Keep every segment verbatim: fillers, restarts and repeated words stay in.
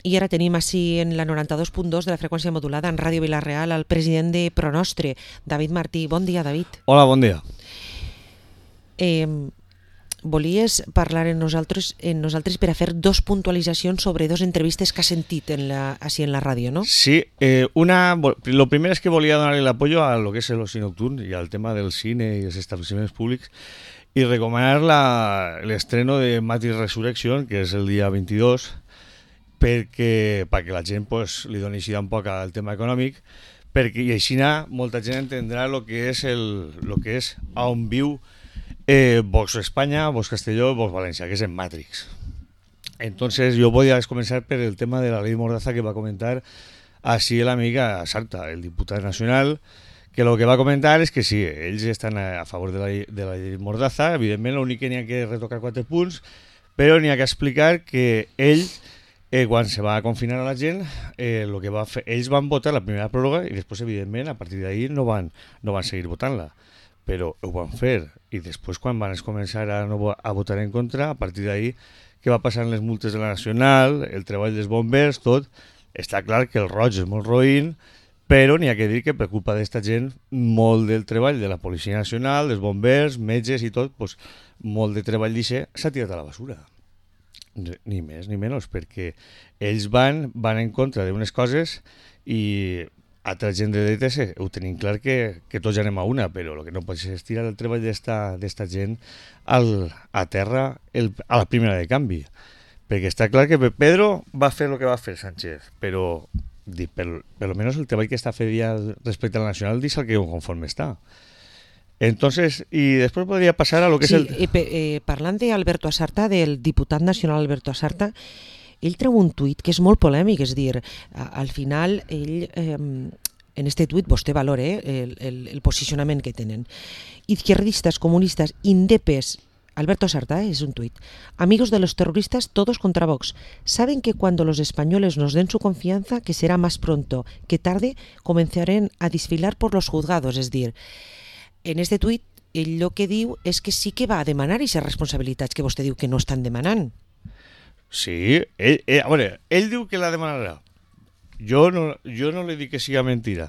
I ara tenim així en la noranta-dos punt dos de la freqüència modulada en Ràdio Vila-real el president de Pronostre, David Martí. Bon dia, David. Hola, bon dia. Eh, volies parlar en nosaltres, en nosaltres per a fer dos puntualitzacions sobre dos entrevistes que has sentit en la, així en la ràdio, ¿no? Sí, eh, una, lo primero es que volia donar el apoyo a lo que es el oci nocturn y al tema del cine y els establiments públics y recomanar la, el estreno de Matrix Resurrection, que és el dia vint-i-dos, perquè, perquè la gent pues, li doni així un poc al tema econòmic, perquè i així molta gent entendrà el que és, el, lo que és on viu eh, Vox Espanya, Vox Castelló, Vox València, que és en Matrix. Entonces yo voy a comenzar por el tema de la ley Mordaza que va a comentar así el amiga Sarta, el diputado nacional, que lo que va a comentar és que sí, ells estan a favor de la, de la llei Mordaza, evidentment l'únic que n'hi ha que retocar quatre punts, però n'hi ha que explicar que ell, eh, quan se va confinar a la gent, eh, lo que va fer, ells van votar la primera pròrroga i després, evidentment, a partir d'ahir no van, no van seguir votant-la, però ho van fer, i després quan van començar a, no, a votar en contra, a partir d'ahir, què va passar en les multes de la Nacional, el treball dels bombers, tot, està clar que el roig és molt roïn, però n'hi ha que dir que per culpa d'esta gent molt del treball de la Policia Nacional, dels bombers, metges i tot, pues, molt de treball d'això s'ha tirat a la basura. Ni més ni menys, perquè ells van, van en contra d'unes coses i altra gent de dretes ho tenim clar que, que tots anem a una, però el que no pot ser és tirar el treball d'esta gent al, a terra el, a la primera de canvi. Perquè està clar que Pedro va fer el que va fer Sánchez, però per, per lo menos el treball que està fent ja respecte a la Nacional dice el que conforme està. Entonces, y después podría pasar a lo que sí, es el... Eh, eh, parlant d'Alberto Asarta, del diputat nacional Alberto Asarta, ell treu un tuit que és molt polèmic, és dir, al final ell, eh, en este tuit vostè valora eh, el, el, el posicionament que tenen. Izquierdistas, comunistas, indepes, Alberto Asarta, eh, es un tuit. Amigos de los terroristas, todos contra Vox. Saben que cuando los españoles nos den su confianza, que será más pronto que tarde, comenzarán a desfilar por los juzgados. És dir, en este tuit, ell el que diu és que sí que va a demanar aquestes responsabilitats que vostè diu que no estan demanant. Sí, ell, ell, a veure, ell diu que la demanarà. Jo no, jo no li dic que siga mentira,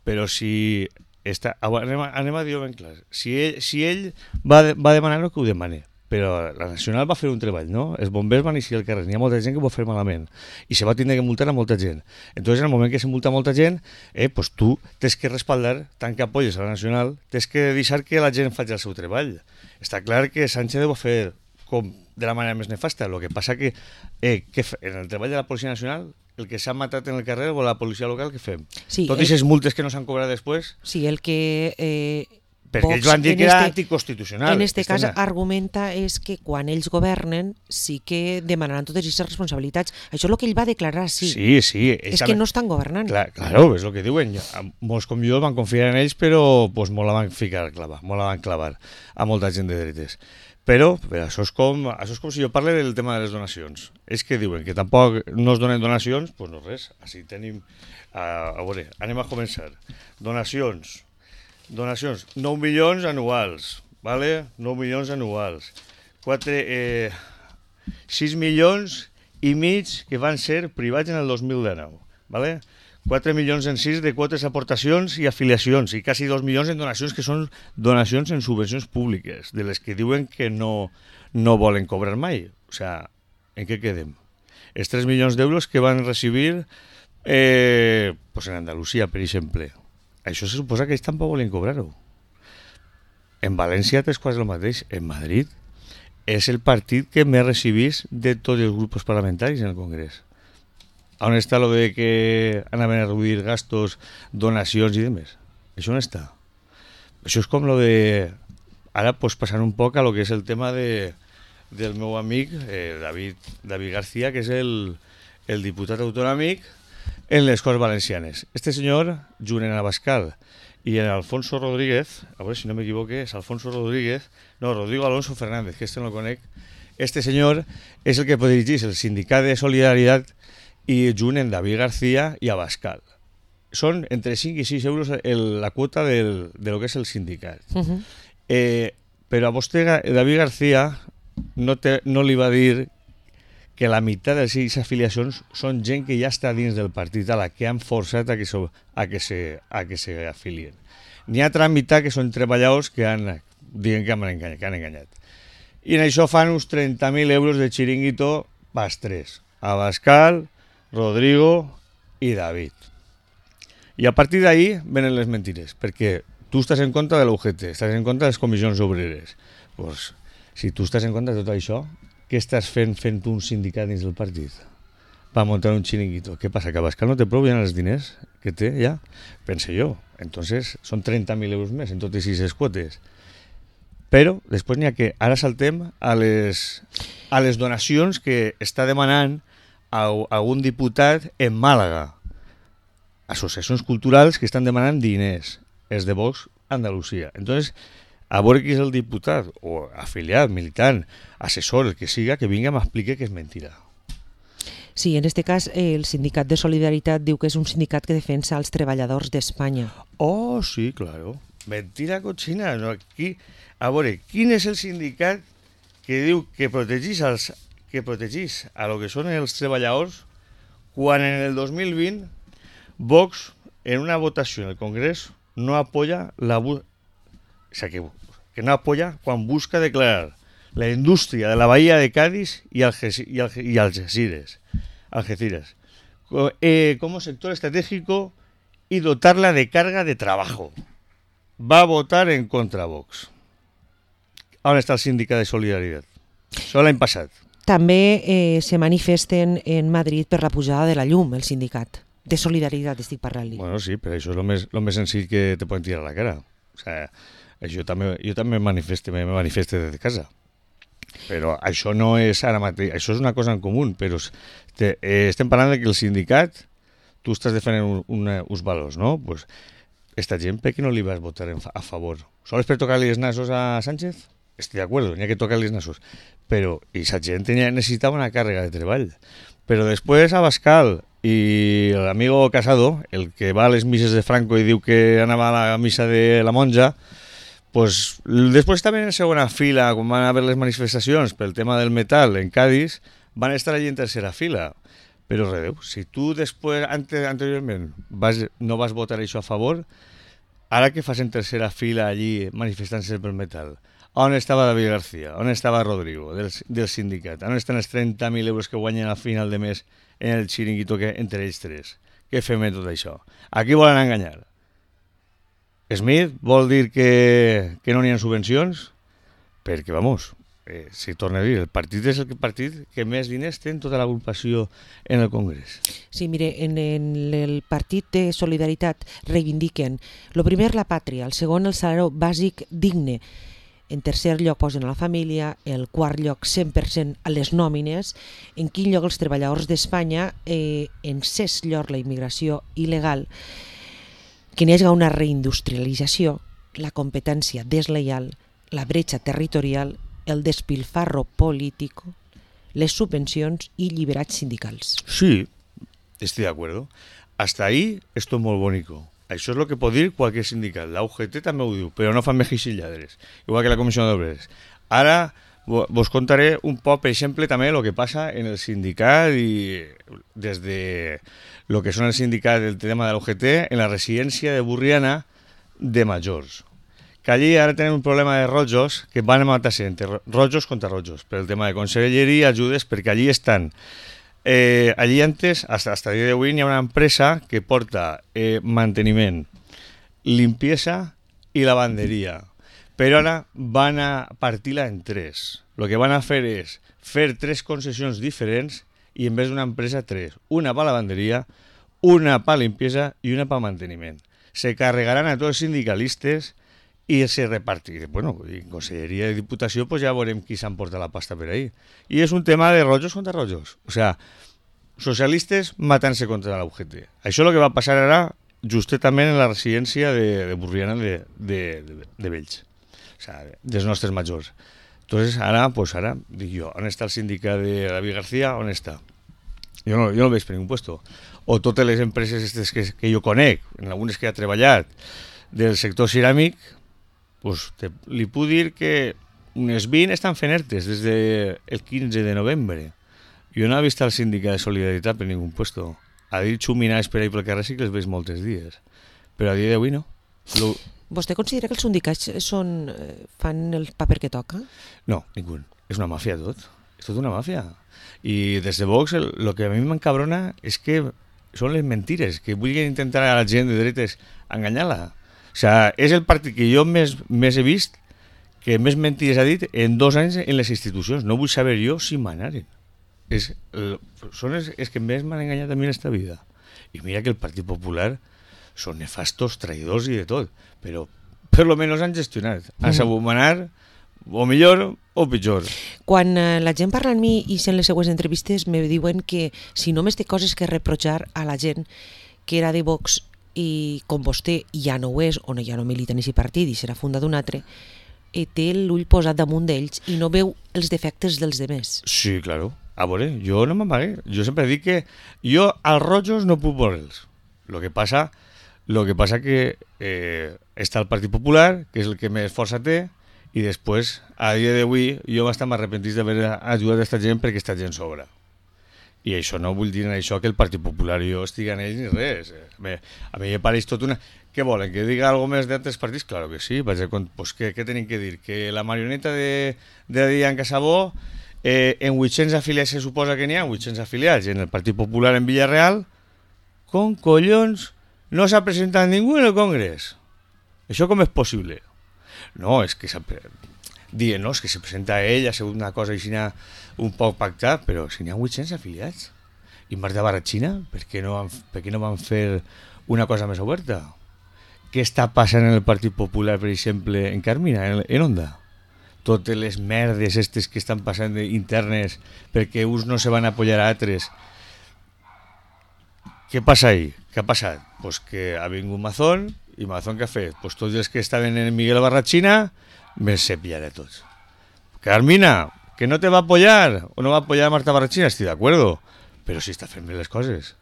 però si... Està, anem, a, anem a dir-ho ben clar. Si ell, si ell va, va demanar que ho demane, però la Nacional va fer un treball, no? Els bombers van eixir al carrer, n'hi ha molta gent que ho va fer malament i se va tindre que multar a molta gent. Entonces, en el moment que se multa a molta gent, eh, pues tu tens que respaldar, tant que apoyes a la Nacional, tens que deixar que la gent faci el seu treball. Està clar que Sánchez ho va fer com de la manera més nefasta, el que passa que, eh, que en el treball de la Policia Nacional el que s'ha matat en el carrer o la policia local, què fem? Sí, Tot i aquestes multes que no s'han cobrat després? Sí, el que... Eh, perquè Vox, ells van dir que era este, anticonstitucional. En este cas Estena. argumenta és que quan ells governen sí que demanaran totes aquestes responsabilitats. Això és el que ell va declarar, sí. Sí, sí. És que no estan governant. Clar, claro, és el que diuen. Molts com jo van confiar en ells, però pues, molt la van ficar a clavar, molt la van clavar a molta gent de dretes. Però, però això, és com, això és com si jo parle del tema de les donacions. És que diuen que tampoc no es donen donacions, doncs pues no res. Així tenim... A, a veure, anem a començar. Donacions. Donacions. nou milions anuals. Vale? nou milions anuals. quatre, eh, sis milions i mig que van ser privats en el dos mil dinou. Vale? quatre milions en sis de quotes, aportacions i afiliacions i quasi dos milions en donacions que són donacions en subvencions públiques, de les que diuen que no, no volen cobrar mai. O sea, en què quedem? Els tres milions d'euros que van recibir eh, pues en Andalusia, per exemple. Això se suposa que ells tampoc volen cobrar-ho. En València és quasi el mateix. En Madrid és el partit que més recibís de tots els grups parlamentaris en el Congrés. On està lo de que anaven a reduir gastos, donacions i demés? Això no està. Això és com lo de... Ara pues, passant un poc a lo que és el tema de, del meu amic eh, David, David García, que és el, el diputat autonòmic en les Corts Valencianes. Este senyor, junt en Abascal i en Alfonso Rodríguez, a veure si no m'equivoque, és Alfonso Rodríguez, no, Rodrigo Alonso Fernández, que este no el conec, este senyor és el que dirigeix el Sindicat de Solidaritat i junt en David García i Abascal. Són entre cinc i sis euros el, la quota del, de lo que és el sindicat. Uh-huh. eh, però a vostè, David García, no, te, no li va dir que la meitat de les seves afiliacions són gent que ja està dins del partit, a la que han forçat a que se, a que se, a que se afilien. N'hi ha altra meitat que són treballadors que han, diguen que han enganyat. Que han enganyat. I en això fan uns trenta mil euros de xiringuito pas tres. Abascal, Rodrigo i David. I a partir d'ahí venen les mentires, perquè tu estàs en contra de l'U G T, estàs en contra de les comissions obreres. Pues, si tu estàs en contra de tot això, què estàs fent fent un sindicat dins del partit? Va muntar un xiringuito. ¿Qué pasa? ¿Que Abascal no te prou ja els diners que té ja? Pense jo. Entonces, són trenta mil euros més en totes aquestes quotes. Però després n'hi ha que ara saltem a les, a les donacions que està demanant a, a algun diputat en Màlaga. Associacions culturals que estan demanant diners, és de Vox Andalusia. Entonces, a veure qui és el diputat, o afiliat, militant, assessor, el que siga, que vinga i m'expliqui que és mentira. Sí, en este cas el sindicat de Solidaritat diu que és un sindicat que defensa els treballadors d'Espanya. Oh, sí, claro. Mentira cochina. No, aquí, a veure, quin és el sindicat que diu que protegís, els, que protegís a lo que són els treballadors quan en el dos mil vint Vox, en una votació en el Congrés, no apoya la... Bu- o sea, que, que no apoya quan busca declarar la indústria de la bahía de Cádiz y, Alges- y, Alge- y Algeciras, Algeciras co- eh, como sector estratégico y dotarla de carga de trabajo. Va a votar en contra Vox. On està el sindicat de Solidaritat? Això l'any passat. També eh, se manifesten en Madrid per la pujada de la llum, el sindicat. De Solidaritat estic parlant-li. Bueno, sí, però això és el més, el més senzill que te poden tirar a la cara. O sea, això també, jo també manifeste, me manifeste des de casa. Però això no és ara mateix, això és una cosa en comú, però te, eh, estem parlant de que el sindicat, tu estàs defendent un, una, uns valors, no? Pues, esta gent, per què no li vas votar en, a favor? Sols per tocar-li els nassos a Sánchez? Estic d'acord, n'hi ha que tocar-li els nassos. Però aquesta gent tenia, necessitava una càrrega de treball. Però després Abascal i l'amigo Casado, el que va a les misses de Franco i diu que anava a la missa de la monja, pues, després també en segona fila, quan van haver les manifestacions pel tema del metal en Cádiz, van estar allí en tercera fila. Però redeu, si tu després, ante, anteriorment, vas, no vas votar això a favor, ara que fas en tercera fila allí manifestant-se pel metal, on estava David García, on estava Rodrigo del, del sindicat, on estan els trenta mil euros que guanyen al final de mes en el xiringuito que entre ells tres? Què fem en tot això? A qui volen enganyar? Smith vol dir que, que no n'hi ha subvencions? Perquè, vamos, eh, si torna a dir, el partit és el partit que més diners té en tota l'agrupació en el Congrés. Sí, mire, en, en el partit de Solidaritat reivindiquen, lo primer la pàtria, el segon el salari bàsic digne, en tercer lloc posen a la família, el quart lloc cent per cent a les nòmines, en quin lloc els treballadors d'Espanya, eh, en sès lloc la immigració il·legal, que n'hi hagi una reindustrialització, la competència desleial, la bretxa territorial, el despilfarro polític, les subvencions i lliberats sindicals. Sí, estoy de acuerdo. Hasta ahí esto es muy bonito. Això és el que pot dir qualsevol sindicat. La U G T també ho diu, però no fan mejis i lladres, igual que la Comissió d'Obreres. Ara vos contaré un poc, per exemple, també el que passa en el sindicat i des de lo que són el sindicat del tema de la U G T en la residència de Burriana de majors. Que allí ara tenen un problema de rojos que van matar-se entre rojos contra rojos per el tema de conselleria i ajudes, perquè allí estan... Eh, allí antes, hasta, hasta el día de hoy, hi ha una empresa que porta eh, manteniment, limpieza i lavanderia. Però ara van a partir-la en tres. Lo que van a fer és fer tres concessions diferents i en vez d'una empresa, tres. Una per lavanderia, una per limpieza i una per manteniment. Se carregaran a tots els sindicalistes i se repartir. Bueno, en Conselleria i Diputació pues ja veurem qui s'emporta la pasta per ahí. I és un tema de rojos contra rojos. O sea, socialistes matant-se contra la U G T. Això és el que va passar ara justament en la residència de, de Burriana de, de, de, de Vells. O sea, dels nostres majors. Entonces, ara, pues ara, dic jo, on està el sindicat de David García? On està? Jo no, jo no el veig per ningú puesto. O totes les empreses estes que, que jo conec, en algunes que he treballat, del sector ceràmic, pues te, li puc dir que unes vint estan fent ertes des del quinze de novembre. Jo no he vist el sindicat de Solidaritat per ningú puesto. A dir xuminars per ahí pel carrer sí que els veig molts dies. Però a dia d'avui no. Lo... Vostè considera que els sindicats són, fan el paper que toca? No, ningú. És una màfia tot. És tot una màfia. I des de Vox el, el que a mi m'encabrona és que són les mentires, que vulguin intentar a la gent de dretes enganyar-la. O sigui, és el partit que jo més, més he vist que més mentires ha dit en dos anys en les institucions. No vull saber jo si manaren. És, el, són els, els que més m'han enganyat a mi en esta vida. I mira que el Partit Popular són nefastos, traïdors i de tot, però per lo menos han gestionat. Han sabut manar, o millor o pitjor. Quan eh, la gent parla amb mi i sent les seues entrevistes me diuen que si només té coses que reprochar a la gent que era de Vox i com vostè ja no ho és, o no, ja no milita en aquest partit i serà fundat un altre, i té l'ull posat damunt d'ells i no veu els defectes dels demés. Sí, claro. A veure, jo no m'amagué. Jo sempre dic que jo als rojos no puc veure'ls. Lo que passa, lo que passa que eh, està el Partit Popular, que és el que més força té, i després, a dia d'avui, jo bastant m'arrepentís d'haver ajudat aquesta gent perquè aquesta gent sobra. I això no vull dir en això que el Partit Popular i jo estigui en ells ni res. Bé, a mi em pareix tot una... Què volen? Que diga algo més d'altres partits? Claro que sí. Vaig a... pues, què, què tenim que dir? Que la marioneta de, de Dian Casabó, eh, en vuit-cents afiliats se suposa que n'hi ha, vuit-cents afiliats, i en el Partit Popular en Villarreal, con collons no s'ha presentat ningú en el Congrés. Això com és possible? No, és que s'ha... Dient, no, és que se presenta ell, ha sigut una cosa així un poc pactat, però si n'hi ha vuit-cents afiliats. I Marta Barratxina, per què no van, per què no van fer una cosa més oberta? Què està passant en el Partit Popular, per exemple, en Carmina, en, en Onda? Totes les merdes estes que estan passant internes perquè uns no se van a apoyar a altres. Què passa ahí? Què ha passat? Pues que ha vingut Mazón, i Mazón què ha fet? Pues tots els que estaven en Miguel Barratxina me se pillaré tots. Carmina, que no te va a apoyar, o no va a apoyar a Marta Barratxina, estic d'acuerdo, però si està fent bé les coses.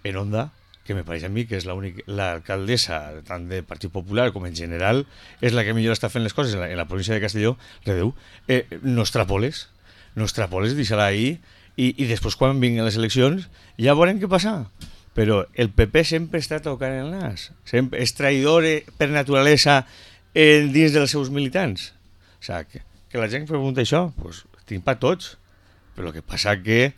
En Onda, que me pareix a mi que és l'alcaldessa tant del Partit Popular com en general, és la que millor està fent les coses en la, en la província de Castelló, redeu, eh, no extrapoles, no extrapoles, deixa-la ahí, i, i després quan vinguin les eleccions ja veurem què passa. Però el P P sempre està tocant el nas, sempre és traïdor per naturalesa en dins dels seus militants. O sigui, que, que la gent pregunta això, doncs tinc per tots, però el que passa que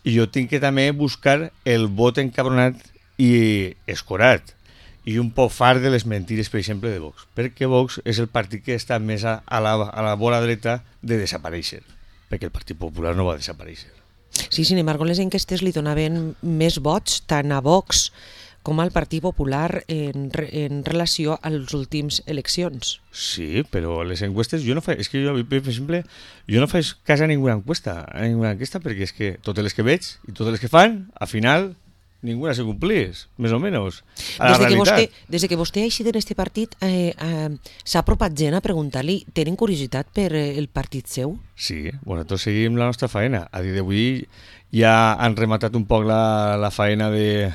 jo tinc que també buscar el vot encabronat i escorat i un poc fart de les mentires, per exemple, de Vox, perquè Vox és el partit que està més a, a, la, a la vora dreta de desaparèixer, perquè el Partit Popular no va desaparèixer. Sí, sin embargo, les enquestes li donaven més vots tant a Vox com al Partit Popular en, en relació a les últimes eleccions. Sí, però les encuestes, jo no faig, és que jo, per exemple, jo no faig cas a ninguna encuesta, a ninguna enquesta, perquè és que totes les que veig i totes les que fan, al final, ninguna se complís, més o menys, a la des de que realitat. vostè, des de que vostè ha eixit en este partit, eh, eh, s'ha apropat gent a preguntar-li, tenen curiositat per eh, el partit seu? Sí, bueno, nosaltres seguim la nostra faena. A dia d'avui ja han rematat un poc la, la faena de,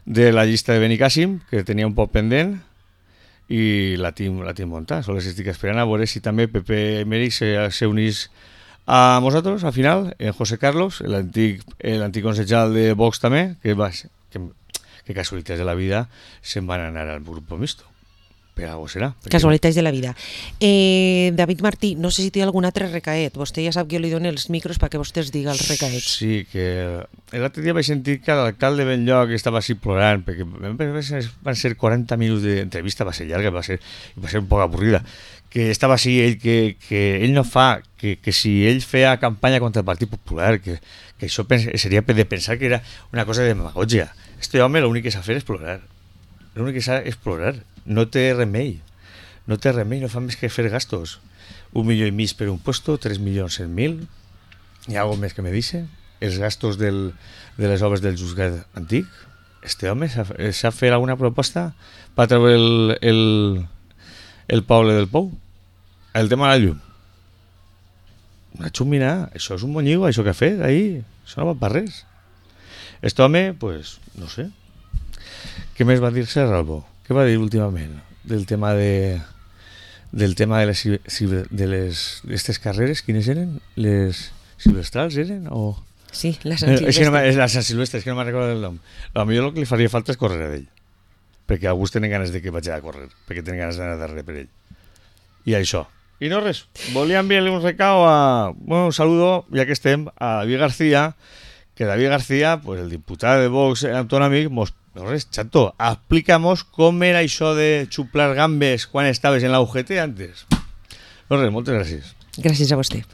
de la llista de Benicàssim, que tenia un poc pendent, i la tinc, la tinc muntada. Sols estic esperant a veure si també Pepe Emeric se, se unís a nosaltres, al final, en José Carlos, l'antic l'antic consejal de Vox també, que, va, que, que casualitats de la vida se'n van anar al grup mixto. Per algo serà. Perquè... Casualitats de la vida. Eh, David Martí, no sé si té algun altre recaet. Vostè ja sap que jo li dono els micros perquè vostè es diga els recaets. Sí, que l'altre dia vaig sentir que l'alcalde Benlloc estava així plorant, perquè van ser quaranta minuts d'entrevista, va ser llarga, va ser, va ser un poc avorrida, que estava així ell, que, que ell no fa, que, que si ell feia campanya contra el Partit Popular, que, que això pens, seria de pensar que era una cosa de demagogia. Este home l'únic que s'ha fet és plorar. L'únic que s'ha és plorar. No té remei. No té remei, no fa més que fer gastos. Un milió i mig per un puesto, tres milions cent mil. Hi ha algo més que me dice. Els gastos del, de les obres del juzgat antic. Este home s'ha fet alguna proposta per treure el, el, el poble del Pou. El tema de la llum. Una xumina, això és un monyigo, això que ha fet ahí, això no va per res. Este home, pues, no sé. Què més va dir Serralbo? Què va dir últimament del tema de del tema de les de les d'aquestes carreres, quines eren? Les silvestrals eren o Sí, la Sant És que no, Silvestre. és la Sant Silvestre, és que no me'n recordo el nom. A millor el que li faria falta és córrer a ell, perquè alguns tenen ganes de que vaig a córrer, perquè tenen ganes d'anar darrere per ell. I això. I no res, volia enviar-li un recao a... Bueno, un saludo, ja que estem, a David García, que David García, pues el diputat de Vox autonòmic, mos... No res, chato, explícamos com era això de xuplar gambes quan estaves en la U G T antes. No res, moltes gràcies. Gràcies a vostè.